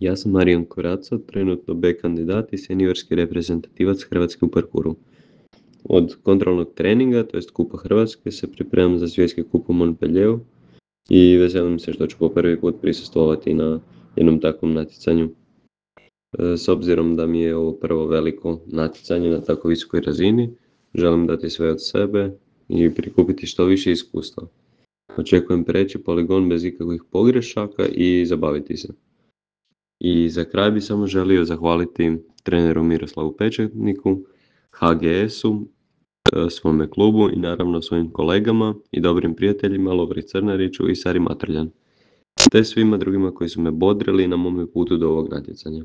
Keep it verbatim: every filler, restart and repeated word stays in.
Ja sam Marijan Koraca, trenutno B kandidat i seniorski reprezentativac Hrvatske u parkouru. Od kontrolnog treninga, to jest Kupa Hrvatske, se pripremam za svjetski kup u Montpellieru i veselim se što ću po prvi put prisustvovati na jednom takvom natjecanju. E, S obzirom da mi je ovo prvo veliko natjecanje na tako visokoj razini, želim dati sve od sebe i prikupiti što više iskustva. Očekujem preći poligon bez ikakvih pogrešaka i zabaviti se. I za kraj bi samo želio zahvaliti treneru Miroslavu Pečetniku, H G S-u, e, svome klubu i naravno svojim kolegama i dobrim prijateljima Lovri Crnariću i Sari Matrljan, te svima drugima koji su me bodrili na mome putu do ovog natjecanja.